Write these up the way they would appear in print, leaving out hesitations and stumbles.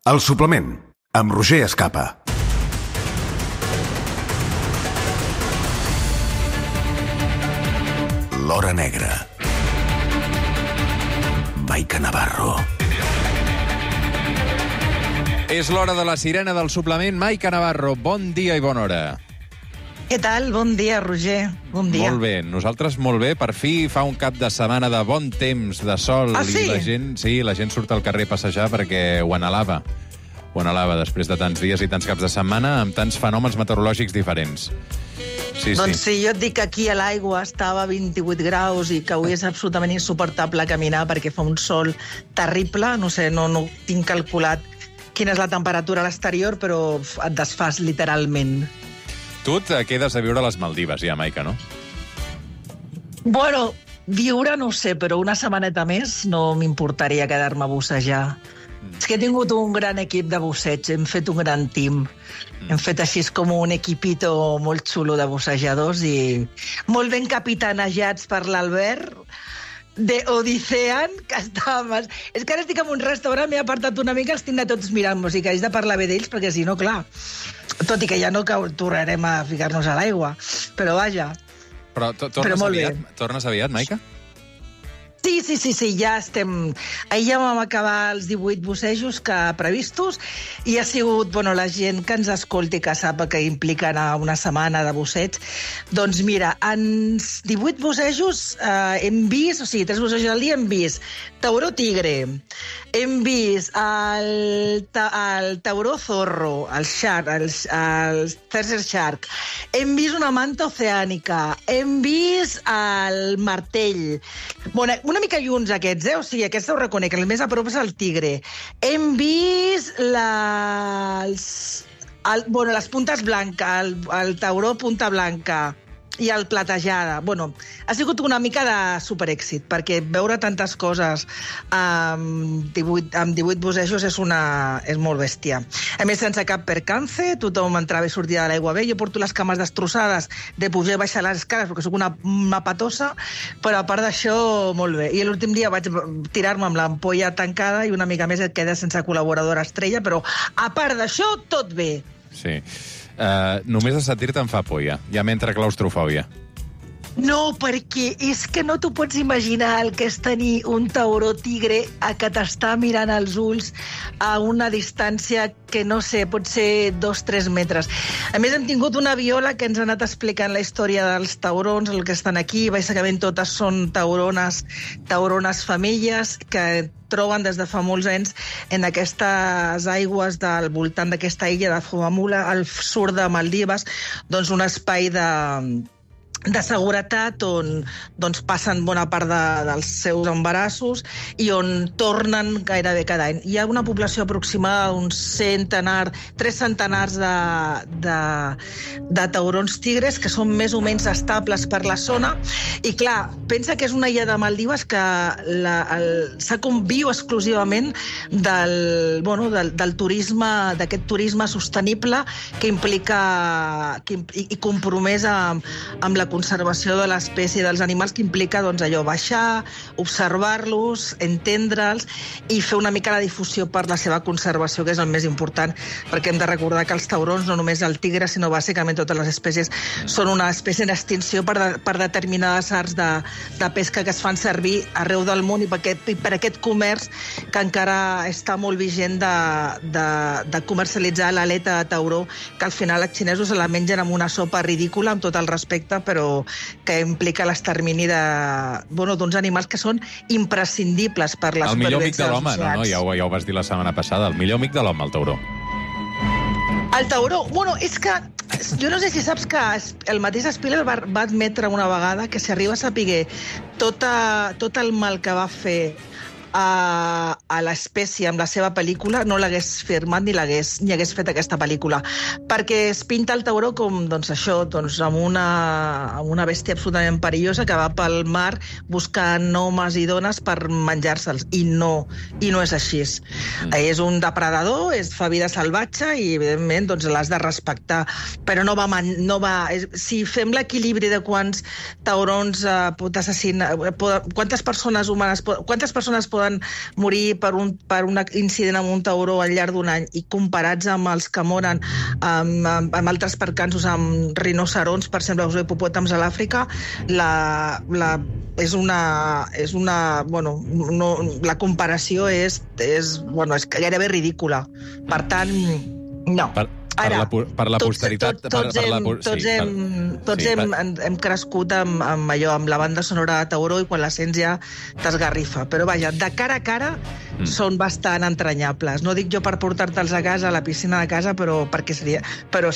El suplement, amb Roger Escapa. L'Hora Negra. Maica Navarro. És l'hora de la sirena del suplement. Maica Navarro, bon dia i bona hora. Què tal? Bon dia, Roger. Bon dia. Molt bé, nosaltres molt bé. Per fi fa un cap de setmana de bon temps, de sol. Sí? I la gent surt al carrer a passejar perquè ho anhelava. Ho anhelava després de tants dies i tants caps de setmana amb tants fenòmens meteorològics diferents. Doncs sí, jo et dic que aquí a l'aigua estava a 28 graus i que avui és absolutament insuportable caminar perquè fa un sol terrible. No sé, no tinc calculat quina és la temperatura a l'exterior, però et desfas literalment. Tu et quedes a viure a les Maldives ja, Maica, no? Bueno, viure no ho sé, però una setmaneta més no m'importaria quedar-me a bussejar. És que he tingut un gran equip de busseig, hem fet un gran team. Hem fet així com un equipito molt xulo de bussejadors i molt ben capitanejats per l'Albert de Odisean, que estàvem... És que ara estic en un restaurant, m'he apartat una mica, els tinc de tots mirant, o sigui que haig de parlar bé d'ells, perquè si no, clar... Tot i que ja no tornarem a ficar-nos a l'aigua, però vaja. Però tornes aviat, Maica? Sí, ja estem... Ahir ja vam acabar els 18 bussejos previstos i ha sigut, la gent que ens escolti, que sap que implica anar una setmana de busseig. Doncs mira, en 18 bussejos hem vist, o sigui, 3 bussejos al dia hem vist tauró tigre, hem vist el tauró zorro, el shark, el Desert Shark, hem vist una manta oceànica, hem vist el martell, una mica lluns aquests, o sigui, aquests ho reconec, el més a prop és el tigre. Hem vist les puntes blanques, el tauró punta blanca i el platejada. Ha sigut una mica de superèxit, perquè veure tantes coses amb 18 bussejos és molt bèstia. A més, sense cap percance, tothom entrava i sortia de l'aigua bé. Jo porto les cames destrossades de pujar i baixar les escales, perquè sóc una patosa, però a part d'això, molt bé. I l'últim dia vaig tirar-me amb l'ampolla tancada i una mica més et quedes sense col·laboradora estrella, però a part d'això, tot bé. Sí. Només de sentir-te em fa por, ja m'entra claustrofòbia. No, perquè és que no t'ho pots imaginar el que és tenir un tauró tigre que t'està mirant als ulls a una distància que, no sé, pot ser 2-3 metres. A més, hem tingut una viola que ens ha anat explicant la història dels taurons, el que estan aquí. Bàsicament totes són taurones femelles que troben des de fa molts anys en aquestes aigües del voltant d'aquesta illa de Fumamula, al sud de Maldives, doncs un espai de seguretat on passen bona part dels seus embarassos i on tornen gairebé cada any. Hi ha una població aproximada d'uns 3 centenars de taurons tigres que són més o menys estables per la zona i clar, pensa que és una illa de Maldives que viu exclusivament del turisme, d'aquest turisme sostenible que implica i compromès amb la conservació de l'espècie dels animals, que implica baixar, observar-los, entendre'ls i fer una mica la difusió per la seva conservació, que és el més important, perquè hem de recordar que els taurons, no només el tigre, sinó bàsicament totes les espècies, són una espècie en extinció per determinades arts de pesca que es fan servir arreu del món i per aquest comerç que encara està molt vigent de comercialitzar l'aleta de tauró, que al final els xinesos se la mengen amb una sopa ridícula, amb tot el respecte, però que implica l'extermini d'uns animals que són imprescindibles per la supervivència dels oceans. El millor amic de l'home, no? Ja ho vas dir la setmana passada, el millor amic de l'home, el tauró. El tauró, és que jo no sé si saps que el mateix Spielberg va admetre una vegada que si arriba a saber tot el mal que va fer a l'espècie amb la seva pel·lícula, no l'hagués firmat ni hagués fet aquesta pel·lícula, perquè es pinta el tauró com amb una bèstia absolutament perillosa que va pel mar buscant homes i dones per menjar-se'ls, i no és així. És un depredador, fa vida salvatge i evidentment l'has de respectar, però si fem l'equilibri de quants taurons pot assassinar, quantes persones poden morir per un incident amb un tauró al llarg d'un any i comparats amb els que moren amb altres percanços, amb rinocerons, per exemple, els hipopòtams a l'Àfrica, la comparació és gairebé ridícula. Per tant, no. Per la posteritat... Tots hem crescut amb allò, amb la banda sonora de Tauró, i quan la sents ja t'esgarrifa. Però vaja, de cara a cara són bastant entranyables. No dic jo per portar-te'ls a casa, a la piscina de casa, però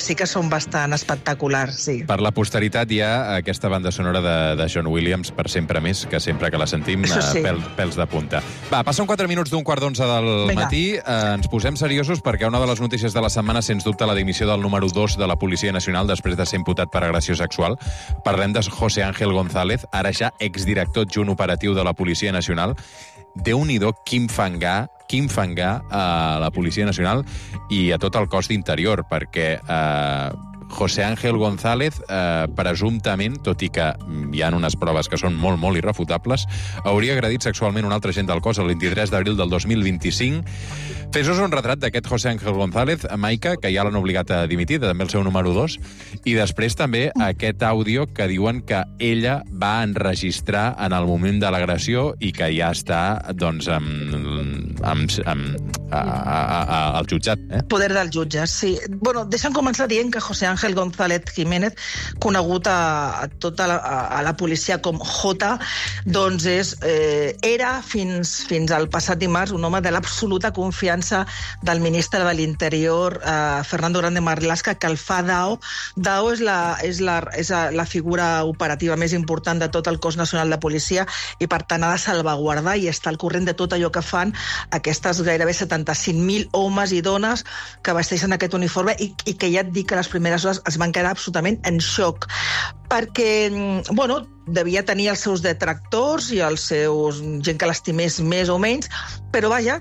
sí que són bastant espectaculars, sí. Per la posteritat hi ha aquesta banda sonora de John Williams, per sempre més, que sempre que la sentim, pèls de punta. Va, passen 4 minuts d'un 11:15 del matí. Ens posem seriosos perquè una de les notícies de la setmana, sens dubte, la dimissió del número 2 de la Policia Nacional després de ser imputat per agressió sexual. Parlem de José Ángel González, ara ja exdirector adjunt operatiu de la Policia Nacional. Déu-n'hi-do quin fangar a la Policia Nacional i a tot el cos d'Interior, perquè José Ángel González, presumptament, tot i que hi ha unes proves que són molt, molt irrefutables, hauria agredit sexualment un altre agent del cos el 23 d'abril del 2025. Fes-nos un retrat d'aquest José Ángel González, Maica, que ja l'han obligat a dimitir, també el seu número 2, i després també aquest àudio que diuen que ella va enregistrar en el moment de l'agressió i que ja està, doncs, al jutjat. Poder del jutge, sí. Bueno, deixa'm començar dient que José Ángel González Jiménez, conegut a tota la policia com Jota, doncs era fins al passat dimarts un home de l'absoluta confiança del ministre de l'Interior, Fernando Grande Marlaska, que el fa DAO. DAO és la figura operativa més important de tot el cos nacional de policia i, per tant, ha de salvaguardar i estar al corrent de tot allò que fan aquestes gairebé 75.000 homes i dones que vesteixen aquest uniforme i que ja et dic que les primeres hores es van quedar absolutament en xoc. Perquè, devia tenir els seus detractors i els seus gent que l'estimés més o menys, però vaja,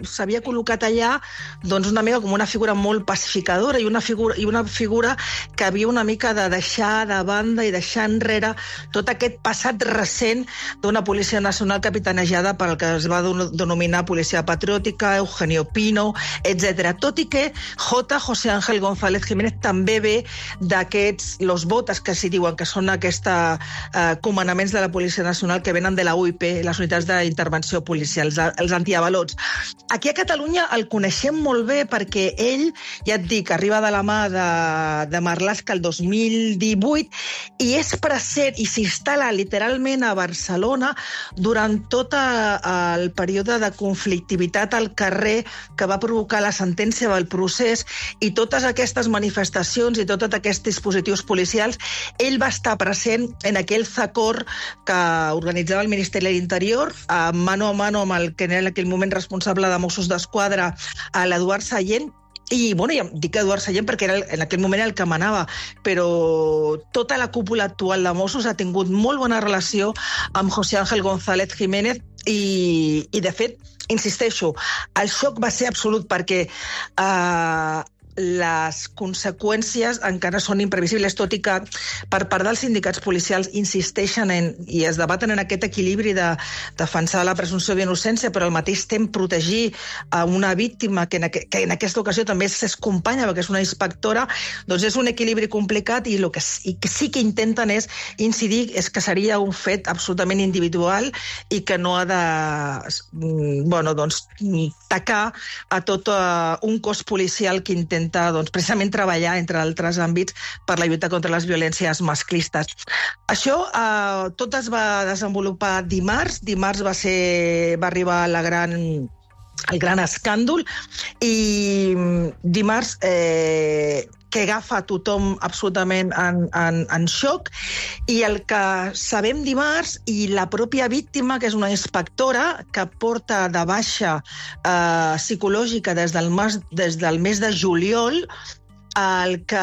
s'havia col·locat allà doncs una mica com una figura molt pacificadora i una figura que havia una mica de deixar de banda i deixar enrere tot aquest passat recent d'una policia nacional capitanejada pel que es va denominar policia patriòtica, Eugenio Pino, etc. Tot i que José Ángel González Jiménez també ve d'aquests, los botes que s'hi diuen, que són aquests comandaments de la Policia Nacional que venen de la UIP, les unitats d'intervenció policial, els antiavalots. Aquí a Catalunya el coneixem molt bé perquè ell, ja et dic, arriba de la mà de Marlaska el 2018 i és present i s'instal·la literalment a Barcelona durant tot el període de conflictivitat al carrer que va provocar la sentència del procés i totes aquestes manifestacions i tots aquests dispositius policials. Ell va estar present en aquell zacor que organitzava el Ministeri de l'Interior, mano a mano amb el que era en aquell moment responsable de Mossos d'Esquadra, l'Eduard Sallent. I, ja dic Eduard Sallent perquè en aquell moment era el que manava, però tota la cúpula actual de Mossos ha tingut molt bona relació amb José Ángel González Jiménez i de fet, insisteixo, el xoc va ser absolut perquè les conseqüències encara són imprevisibles, tot i que per part dels sindicats policials insisteixen i es debaten en aquest equilibri de defensar la presumpció d'innocència, però al mateix temps protegir a una víctima que en aquesta ocasió també és companya, perquè és una inspectora, doncs és un equilibri complicat i el que sí que intenten és incidir és que seria un fet absolutament individual i que no ha de tacar a tot un cos policial que intenta precisament treballar, entre altres àmbits, per la lluita contra les violències masclistes. Això tot es va desenvolupar dimarts. Dimarts va arribar el gran escàndol i dimarts que agafa tothom absolutament en xoc i el que sabem dimarts i la pròpia víctima, que és una inspectora que porta de baixa psicològica des del mes de juliol, el que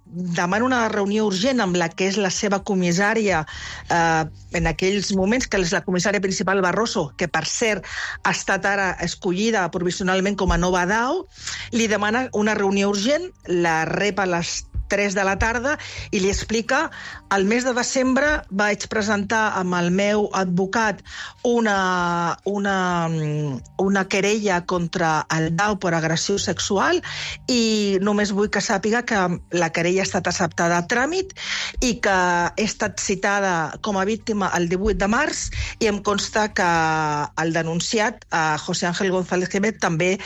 demana una reunió urgent amb la que és la seva comissària en aquells moments, que és la comissària principal Barroso, que per cert ha estat ara escollida provisionalment com a nova DAO, li demana una reunió urgent, la rep a les 3 de la tarda i li explica: el mes de desembre vaig presentar amb el meu advocat una querella contra el Dau per agressió sexual i només vull que sàpiga que la querella ha estat acceptada a tràmit i que he estat citada com a víctima el 18 de març i em consta que el denunciat, José Ángel González Jiménez, també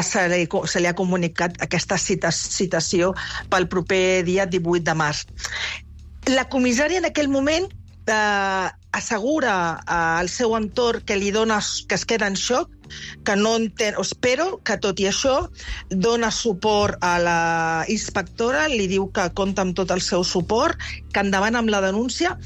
se li ha comunicat aquesta citació pel proper dia 18 de març. La comissària en aquell moment assegura al seu entorn que li dona, que es queda en xoc, que no entén, però que tot i això dona suport a la inspectora, li diu que compta amb tot el seu suport, que endavant amb la denúncia,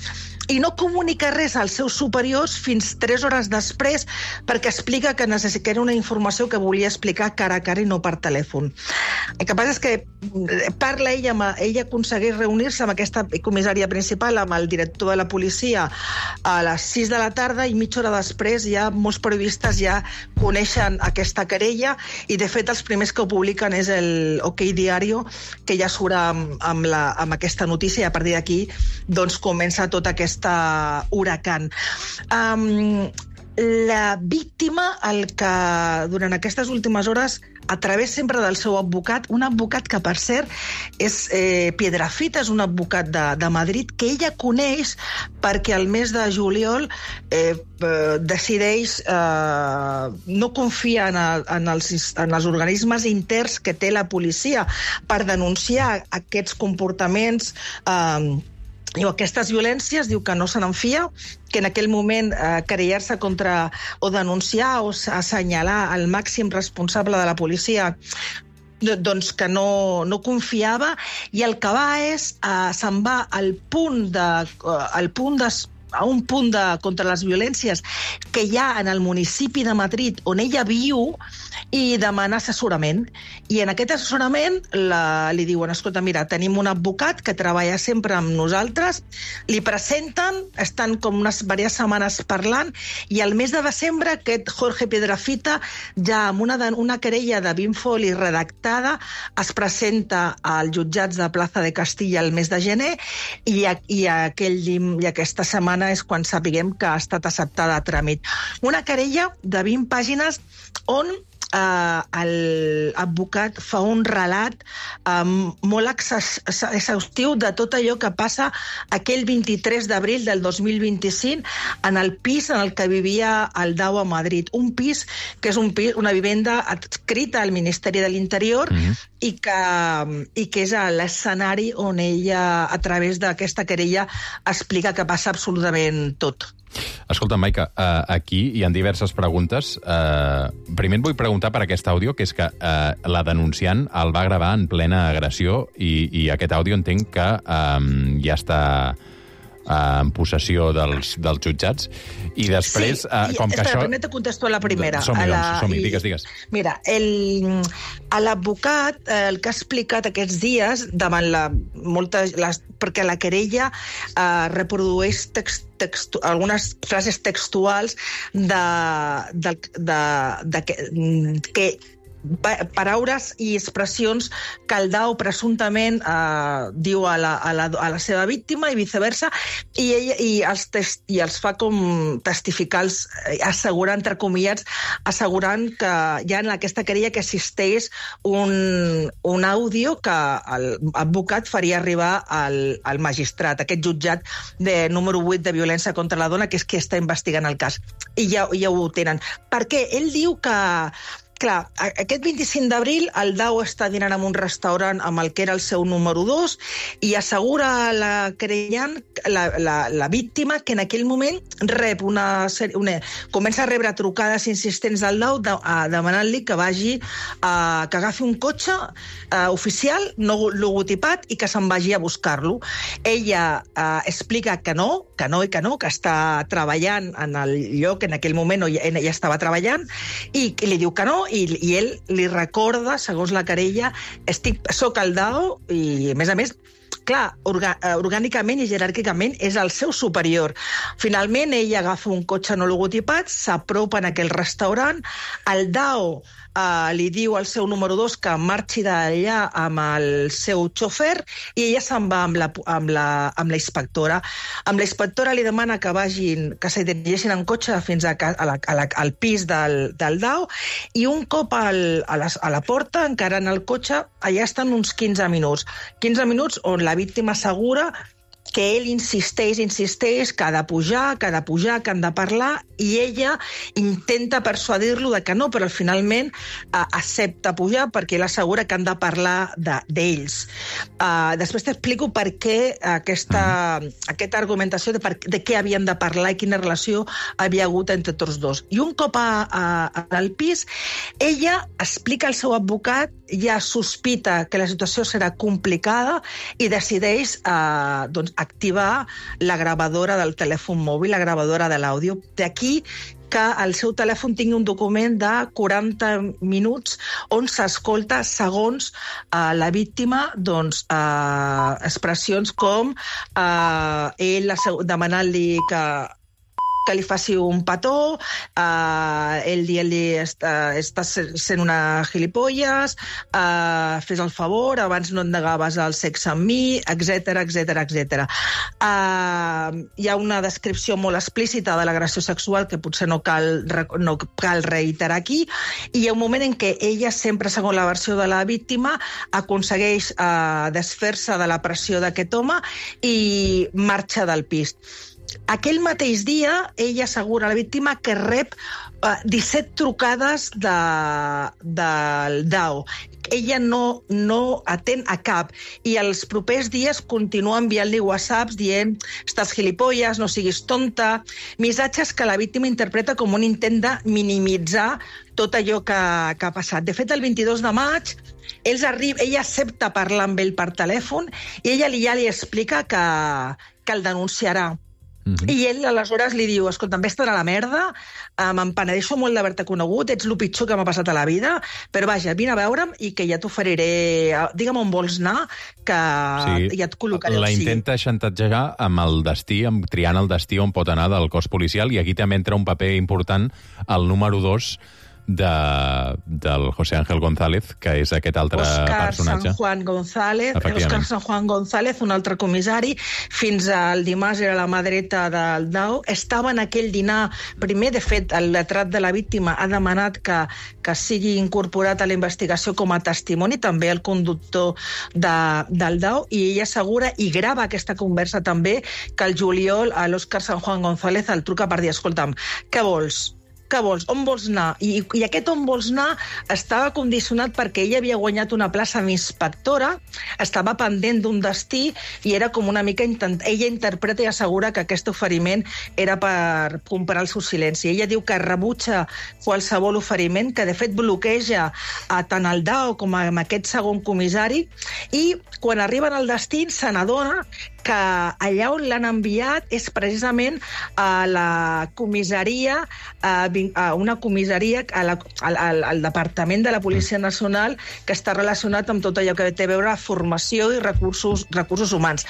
i no comunica res als seus superiors fins 3 hores després, perquè explica que era una informació que volia explicar cara a cara i no per telèfon. El que passa és que parla ella aconsegueix reunir-se amb aquesta comissària principal, amb el director de la policia, a les 6 de la tarda, i mitja hora després ja molts periodistes ja coneixen aquesta querella, i de fet els primers que ho publiquen és el OK Diario, que ja surt amb aquesta notícia, i a partir d'aquí doncs comença tota aquesta huracan. La víctima, el que durant aquestes últimes hores, a través sempre del seu advocat, un advocat que, per cert, és Piedrafita, és un advocat de Madrid, que ella coneix perquè el mes de juliol decideix no confiar en els organismes interns que té la policia per denunciar aquests comportaments o aquestes violències, diu que no se n'enfia, que en aquell moment querellar-se contra o denunciar o assenyalar el màxim responsable de la policia, doncs que no confiava, i el que va és se'n va a un punt contra les violències que hi ha en el municipi de Madrid on ella viu, i demana assessorament. I en aquest assessorament li diuen: escolta, mira, tenim un advocat que treballa sempre amb nosaltres, li presenten, estan com unes diverses setmanes parlant, i al mes de desembre aquest Jorge Piedrafita, ja amb una querella de 20 folis redactada, es presenta als jutjats de Plaza de Castilla el mes de gener, i aquesta setmana és quan sapiguem que ha estat acceptada a tràmit. Una querella de 20 pàgines on l'advocat fa un relat molt exhaustiu de tot allò que passa aquell 23 d'abril del 2025 en el pis en el que vivia el Dau a Madrid. Un pis que és una vivenda adscrita al Ministeri de l'Interior, i que és l'escenari on ella, a través d'aquesta querella, explica que passa absolutament tot. Escolta, Maica, aquí hi ha diverses preguntes. Primer et vull preguntar per aquest àudio, que és que la denunciant el va gravar en plena agressió, i aquest àudio entenc que ja està en possessió dels jutjats. I després, com que això... Primer te contesto a la primera. Som-hi, digues. Mira, l'advocat el que ha explicat aquests dies davant perquè la querella reprodueix algunes frases textuals que paraules i expressions que el Dau presumptament diu a la seva víctima i viceversa, i els fa com testificar, assegurant, entre comillats, assegurant que hi ha en aquesta querella que existeix un àudio que l'advocat faria arribar al magistrat, aquest jutjat de número 8 de violència contra la dona, que és qui està investigant el cas. I ja ho tenen. Perquè ell diu que clar, aquest 25 d'abril el Dau està dinant en un restaurant amb el que era el seu número 2 i assegura la querellant, la víctima, que en aquell moment rep comença a rebre trucades insistents del Dau demanant-li que que agafi un cotxe oficial, no logotipat, i que se'n vagi a buscar-lo. Ella explica que no, que està treballant en el lloc, en aquell moment ella estava treballant, i li diu que no, i ell li recorda, segons la querella, soc el Dau, i a més, clar, orgànicament i jeràrquicament és el seu superior. Finalment, ell agafa un cotxe no logotipat, s'apropa en aquell restaurant, el Dau li diu al seu número 2 que marxi d'allà amb el seu xofer i ella se'n va amb la inspectora. Amb la inspectora li demana que que se dirigeixin en cotxe fins al pis del Dao i un cop a la porta, encara en el cotxe, allà estan uns 15 minuts. 15 minuts on la víctima assegura que ell insisteix que ha de pujar, que han de parlar, i ella intenta persuadir-lo de que no, però finalment accepta pujar perquè ell assegura que han de parlar d'ells. Després t'explico per què aquesta argumentació de què havien de parlar i quina relació havia hagut entre tots dos. I un cop al pis, ella explica al seu advocat, ja sospita que la situació serà complicada i decideix activar la gravadora del telèfon mòbil, la gravadora de l'àudio. D'aquí que el seu telèfon tingui un document de 40 minuts on s'escolta segons la víctima expressions com ell demanant-li que li faci un petó, ell dient-li estàs sent una gilipolles, fes el favor, abans no et negaves el sexe amb mi, etc. Hi ha una descripció molt explícita de l'agressió sexual que potser no cal reiterar aquí, i hi ha un moment en què ella, sempre segons la versió de la víctima, aconsegueix desfer-se de la pressió d'aquest home i marxa del pis. Aquell mateix dia, ella assegura a la víctima que rep 17 trucades del Dao. Ella no atén a cap i els propers dies continua enviant-li whatsapps dient estàs gilipolles, no siguis tonta, missatges que la víctima interpreta com un intent de minimitzar tot allò que ha passat. De fet, el 22 de maig, ella accepta parlar amb ell per telèfon i ella ja li explica que el denunciarà. I ell aleshores li diu, escolta, em vaig estar a la merda, me'n penedeixo molt d'haver-te conegut, ets el pitjor que m'ha passat a la vida, però vaja, vine a veure'm i que ja t'oferiré, digue'm on vols anar, que ja et col·locaré la intenta xantatgejar amb el destí, triant el destí on pot anar del cos policial, i aquí també entra un paper important el número 2 del José Ángel González, que és aquest altre personatge. Oscar San Juan González, un altre comissari, fins al dimarts era la mà dreta del Dao. Estava en aquell dinar primer, de fet, el lletrat de la víctima ha demanat que sigui incorporat a la investigació com a testimoni, també el conductor del Dao, i ella assegura i grava aquesta conversa també, que el juliol a l'Oscar San Juan González el truca per dir, escolta'm, què vols? On vols anar? I aquest on vols anar estava condicionat perquè ella havia guanyat una plaça d'inspectora, estava pendent d'un destí i era com una mica... Ella interpreta i assegura que aquest oferiment era per comprar el seu silenci. Ella diu que rebutja qualsevol oferiment, que de fet bloqueja tant el Dao com aquest segon comissari, i quan arriben al destí se n'adona que allà on l'han enviat és precisament a la comissaria, a una comissaria, al Departament de la Policia Nacional, que està relacionat amb tot allò que té a veure amb formació i recursos humans.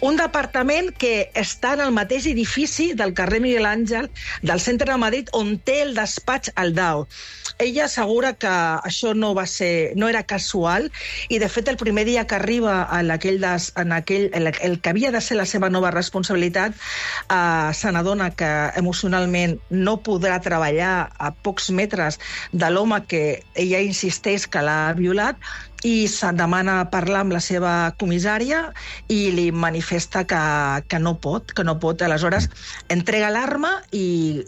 Un departament que està en el mateix edifici del carrer Miguel Àngel, del centre de Madrid, on té el despatx al Dao. Ella assegura que això no era casual, i de fet el primer dia que arriba el que havia de ser la seva nova responsabilitat, se n'adona que emocionalment no podrà treballar a pocs metres de l'home que ella insisteix que l'ha violat, i se'n demana parlar amb la seva comissària i li manifesta que no pot. Aleshores, entrega l'arma i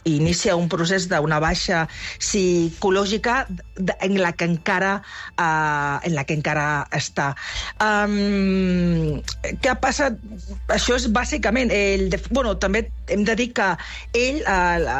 inicia un procés d'una baixa psicològica en la que encara està. Què ha passat? Això és bàsicament... També hem de dir que ell,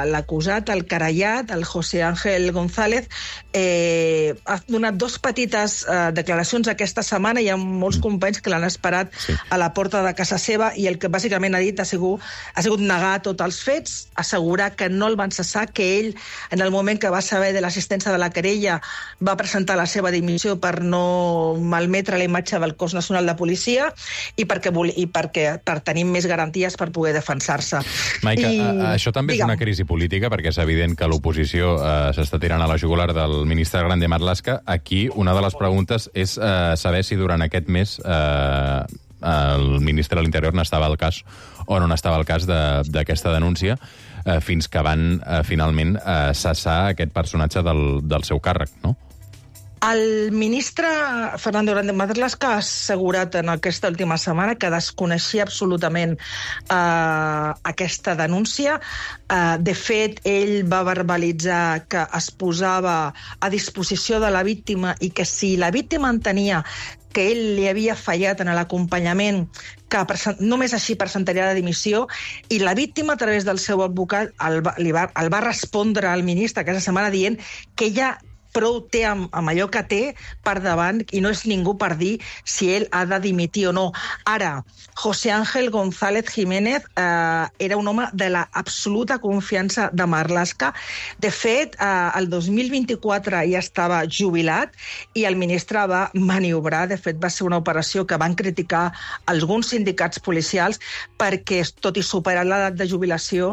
l'acusat, el querellat, el José Ángel González, ha donat dos petites aquestes declaracions aquesta setmana. Hi ha molts companys que l'han esperat a la porta de casa seva i el que bàsicament ha dit ha sigut negar tots els fets, assegurar que no el van cessar, que ell, en el moment que va saber de l'assistència de la querella, va presentar la seva dimissió per no malmetre la imatge del cos nacional de policia i per tenir més garanties per poder defensar-se. Maica, això també és una crisi política, perquè és evident que l'oposició s'està tirant a la jugular del ministre Grande Marlaska. Aquí una de les preguntes és saber si durant aquest mes el ministre de l'Interior n'estava al cas o no n'estava al cas d'aquesta denúncia, fins que van finalment cessar aquest personatge del seu càrrec, no? El ministre Fernando Grande Marlaska ha assegurat en aquesta última setmana que desconeixia absolutament aquesta denúncia. De fet, ell va verbalitzar que es posava a disposició de la víctima i que si la víctima entenia que ell li havia fallat en l'acompanyament, que només així presentaria la dimissió, i la víctima, a través del seu advocat, el va respondre al ministre aquesta setmana dient que ella prou té amb allò que té per davant i no és ningú per dir si ell ha de dimitir o no. Ara, José Ángel González Jiménez era un home de l'absoluta confiança de Marlaska. De fet, el 2024 ja estava jubilat i el ministre va maniobrar. De fet, va ser una operació que van criticar alguns sindicats policials perquè, tot i superar l'edat de jubilació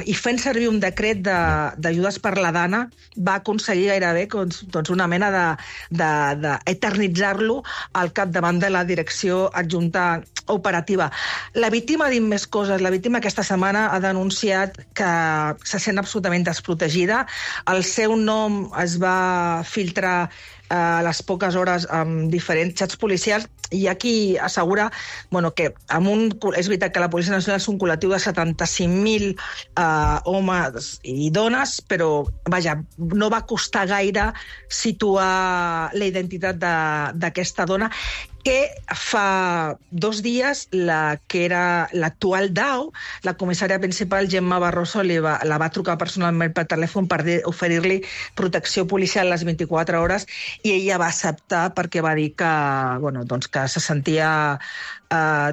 i fent servir un decret d'ajudes per la dana, va aconseguir gairebé una mena d'eternitzar-lo al capdavant de la direcció adjunta operativa. La víctima ha dit més coses. La víctima aquesta setmana ha denunciat que se sent absolutament desprotegida. El seu nom es va filtrar a les poques hores amb diferents xats policials i aquí assegura que és veritat que la Policia Nacional és un col·lectiu de 75.000 homes i dones, però vaja, no va costar gaire situar la identitat d'aquesta dona, que fa 2 dies que era l'actual DAO, la comissària principal, Gemma Barroso, la va trucar personalment per telèfon per oferir-li protecció policial les 24 hores i ella va acceptar perquè va dir que se sentia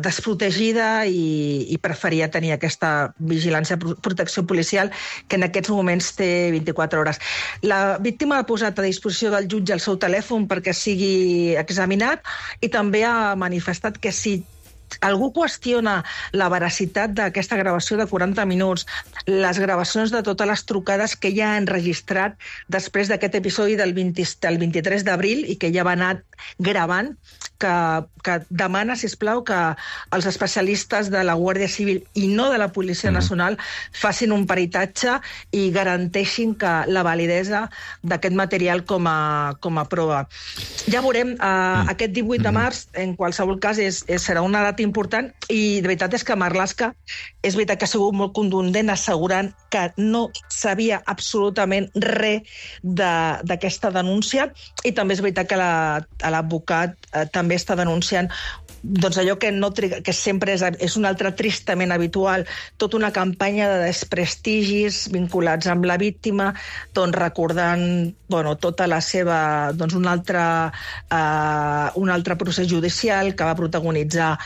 desprotegida i preferia tenir aquesta vigilància, protecció policial, que en aquests moments té 24 hores. La víctima ha posat a disposició del jutge el seu telèfon perquè sigui examinat i també ha manifestat que si algú qüestiona la veracitat d'aquesta gravació de 40 minuts, les gravacions de totes les trucades que ella ha enregistrat després d'aquest episodi del 23 d'abril i que ella va anar gravant, que demana, sisplau, que els especialistes de la Guàrdia Civil i no de la Policia Nacional facin un peritatge i garanteixin que la validesa d'aquest material com a prova. Ja veurem, aquest 18 de març, en qualsevol cas, serà una data important i de veritat és que Marlaska és veritat que ha sigut molt contundent assegurant que no sabia absolutament res d'aquesta denúncia i també és veritat que l'advocat també està denunciant allò que sempre és un altre tristament habitual, tota una campanya de desprestigis vinculats amb la víctima, recordant tota la seva un altre procés judicial que va protagonitzar,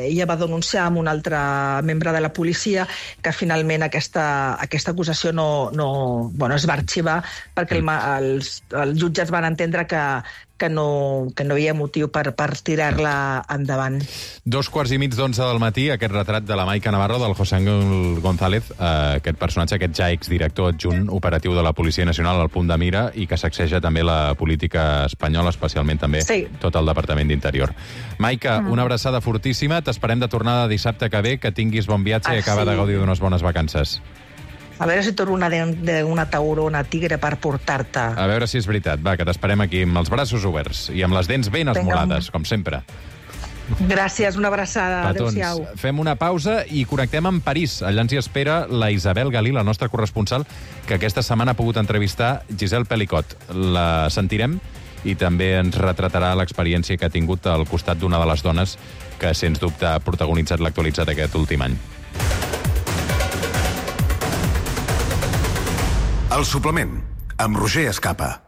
ella va denunciar amb un altre membre de la policia, que finalment aquesta acusació es va arxivar perquè els jutges van entendre que no hi havia motiu per tirar-la endavant. 11:15 del matí, aquest retrat de la Maica Navarro, del José Ángel González, aquest personatge, aquest ja exdirector adjunt operatiu de la Policia Nacional al punt de mira i que sacseja també la política espanyola, especialment també tot el Departament d'Interior. Maica, una abraçada fortíssima, t'esperem de tornada dissabte que ve, que tinguis bon viatge i acaba de gaudir d'unes bones vacances. A veure si torno una taurona tigre per portar-te. A veure si és veritat. Va, que t'esperem aquí amb els braços oberts i amb les dents ben esmolades, com sempre. Gràcies, una abraçada. Adéu-siau. Fem una pausa i connectem amb París. Allà ens hi espera la Isabel Galí, la nostra corresponsal, que aquesta setmana ha pogut entrevistar Giselle Pelicot. La sentirem i també ens retratarà l'experiència que ha tingut al costat d'una de les dones que, sens dubte, ha protagonitzat l'actualitzat aquest últim any. El suplement, amb Roger Escapa.